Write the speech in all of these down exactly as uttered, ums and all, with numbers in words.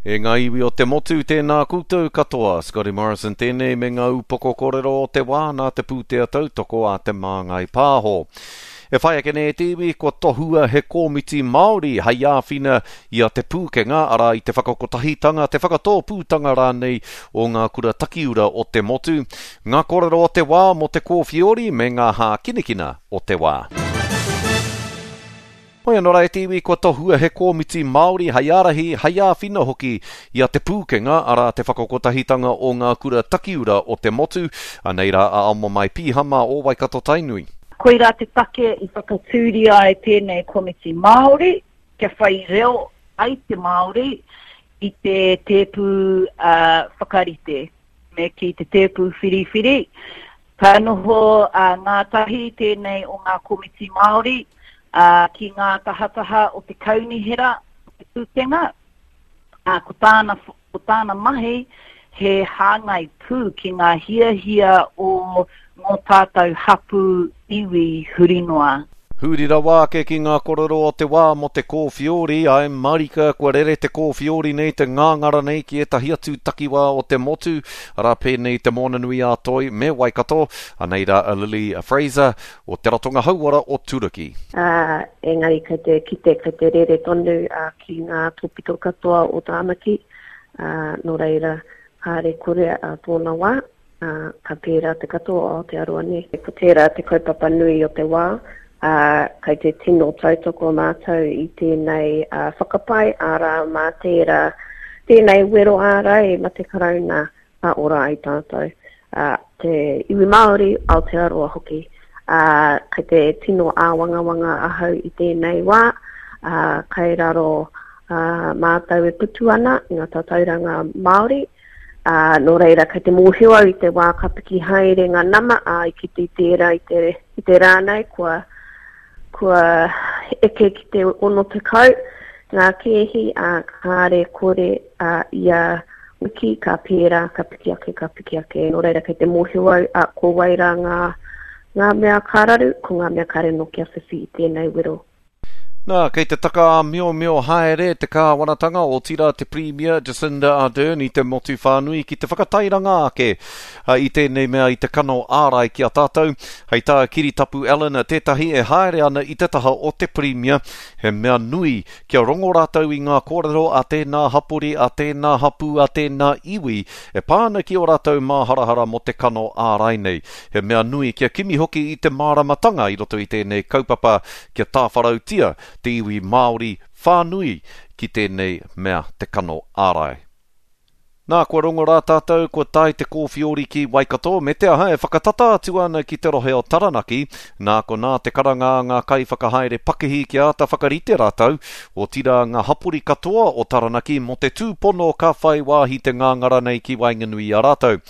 E ngā iwi o te motu, tēnā koutou katoa. Scotty Morrison tēnei me ngā upoko kōrero o te wā nā te pūtea tautoko a Te Māngai Pāho. E whai ake nei e te iwi, kua tohua he kōmiti Māori hei āwhina i a Te Pūkenga, arā i te whakakotahitanga, te whakatōpūtanga rānei o ngā kura takiura o te motu. Ngā kōrero o te wā mō te kōwhiori me ngā hākinakina o te wā. Hoi anō rā e te iwi, kua tohua he kōmiti Māori hei ārahi, hei āwhina hoki i a Te Pūkenga, arā te whakakotahitanga o ngā kura takiura o te motu. Anei rā a Amomai Pīhama o Waikato Tainui. Koirā te take i whakatūria ai tēnei komiti Māori, kia whai reo ai te Māori i te tēpu uh, whakarite, me ki te tēpu whiriwhiri. Ka noho uh, ngātahi tēnei o ngā komiti Māori, Uh, ki ngā tahataha o te kaunihera o Te Pūkenga. Uh, ko tāna, ko tāna mahi he hāngai pū ki ngā hiahia o ngō tātou hapū iwi huri noa. Huri rawa ake ki ngā korero o te wā mō te kōwhiori, ai marika kua rere te kōwhiori nei, te ngāngara nei ki ētahi atu takiwā o te motu, arā pēnei te Moananui a Toi me Waikato. Anei rā a Lily Fraser o Te Ratonga Hauora o Turuki. Ā, engari kei te kite, kei te rere tonu ki ngā tōpito katoa o Tāmaki, ā, nō reira, kāre kore ā tōna wā, ā, ka pērā te katoa o Aotearoa nē. Ko tērā te kaupapa nui o te wā, ā, kei te tino tautoko mātou i tēnei whakapae, arā, mā tērā, tēnei wero ārai mā te Karauna ka ora ai tātou, ā, te iwi Māori, Aotearoa hoki. Ā, kei te tino āwangawanga ahau i tēnei wā, ā, kei raro ā, mātou e putu ana i ngā tatauranga Māori, ā, nō reira kei te mōhio au i te wā ka piki haere ngā nama, ā, i kite i tērā i te, i te rā nei, kua, kua eke ki te ono tekau ngā kēhi, ā, kāre kore, ā, ia wiki ka pērā, ka piki ake, ka piki ake. Nō reira kei te mōhio au, ā, ko wai rā ngā, ngā mea ka raru, ko ngā mea kāre nō kia whiwhi i tēnei wero. Nā, kei te taka-ā-miomio haere te kāwanatanga, otirā te Pirimia Jacinda Ardern i te motu whānui ki te whakatairanga ake i tēnei mea i te kano ārai ki a tātou. Hei tā Kiritapu Allan, tētahi e haere ana i te taha o te Pirimia, he mea nui kia rongo rātou i ngā kōrero a tēnā hapori, a tēnā hapū, a tēnā iwi e pā ana ki ō rātou māharahara mō te kano ārai nei. He mea nui kia kimi hoki i te māramatanga i roto i tēnei kaupapa kia tāwharautia te iwi Māori whānui ki tēnei mea te kano ārai. Nā, kua rongo rā tātou, kua tae te kōwhiori ki Waikato, me te aha e whakatata atu ana ki te rohe o Taranaki, nā konā te karanga a ngā kaiwhakahaere pakihi kia āta whakarite rātou, otirā ngā hapori katoa o Taranaki mō te tūpono ka whai wāhi te ngāngara nei ki waenganui i a rātou.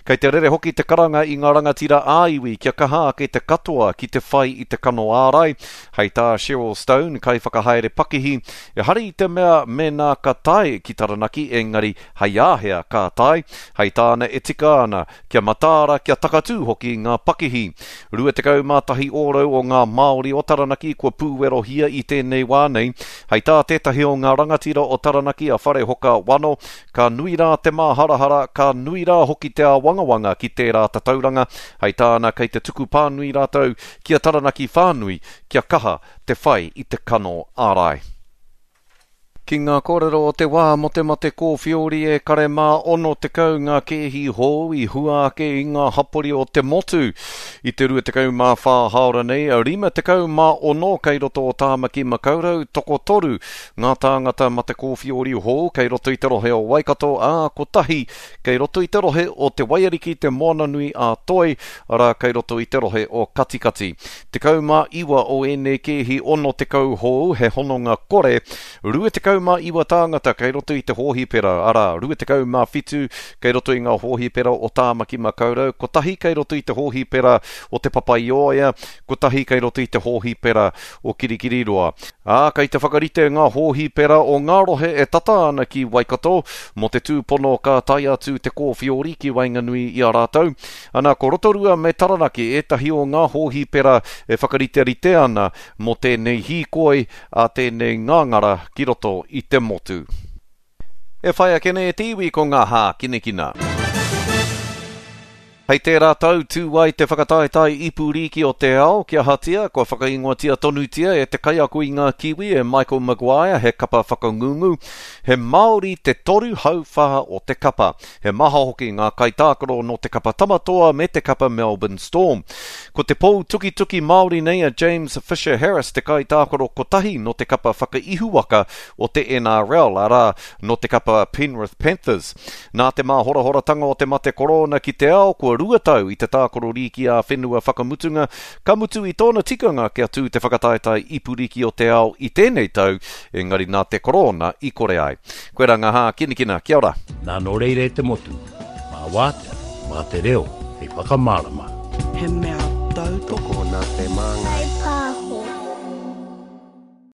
Kei te rere hoki te karanga i ngā rangatira ā-iwi kia kaha ake te katoa ki te whai i te kano ārai. Hei tā Cheryl Stone, kaiwhakahaere pakihi, ehara i te mea mēnā ka tae ki Taranaki engari hei āhea ka tae, hei tāna e tika ana kia mataara, kia takatū hoki ngā pakihi. Rua tekau mā tahi ōrau o ngā Māori o Taranaki kua pūwerohia i tēnei wā nei. Hei tā tētahi o ngā rangatira o Taranaki a Wharehoka Wano, Ka nui rā te māharahara, ka nui rā hoki te āwangawanga ki tērā tatauranga, hei tāna kei te tuku pānui rātou ki a Taranaki whānui kia kaha te whai i te kano ārai. Ki ngā kōrero o te wā mō te mate kōwhiori e kare mā ono tekau ngā kēhi hou i hua ake i ngā hapori o te motu. I te rua tekau mā whā hāora nei, rima tekau mā ono kei roto o Tāmaki Makaurau, tokotoru Ngā tāngata mate kōwhiori hou kei roto i te rohe o Waikato, ā, kotahi kei roto i te rohe o Te Waiariki Te Moananui a Toi, arā, kei roto i te rohe o Katikati. Tekau mā iwa o ēnei kēhi ono tekau hou he hononga kore, rua tekau mā iwa tāngata kei roto i te hōhipera, arā, rua tekau mā whitu kei roto i ngā hōhipera o Tāmaki Makaurau, kotahi kei roto i te hōhipera o Te Papaioea, kotahi kei roto i te hōhipera o Kirikiriroa. Ā, kei te whakarite ngā hōhipera o ngā rohe e tata ana ki Waikato mō te tūpono ka tae atu te kōwhiori ki waenganui i a rātou. Ana, ko Rotorua me Taranaki ētahi o ngā hōhipera e whakariterite ana mō tēnei hīkoi a tēnei ngāngara ki roto i te motu. E whai ake nei e te iwi ko ngā hākinakina. Hei tērā tau tū ai te whakataetae ipu rīki o te ao, kia ahatia, kua whakaingoatia tonutia e te kaiako i ngā Kiwi e Michael Maguire he kapa whakangungu. He Māori te toru hauwhā o te kapa. He maha hoki ngā kaitākaro nō te kapa Tamatoa me te kapa Melbourne Storm. Ko te pou tukituki Māori nei a James Fisher Harris te kaitākaro kotahi nō te kapa whakaihuwaka o te N R L, arā, nō te kapa Penrith Panthers. Nā te māhorahoratanga o te mate korona ki te ao, kua rua tau i te tākaro rīki ā-whenua whakamutunga, ka mutu i tōna tikanga kia tū te whakataetae ipu rīki o te ao i tēnei tau, engari nā te korona i kore ai. Koirā ngā hākinakina, kia ora. Nā nō reira e te motu, mā wātea, mā te reo, hei whakamārama. He mea tautoko Tokona te māngai.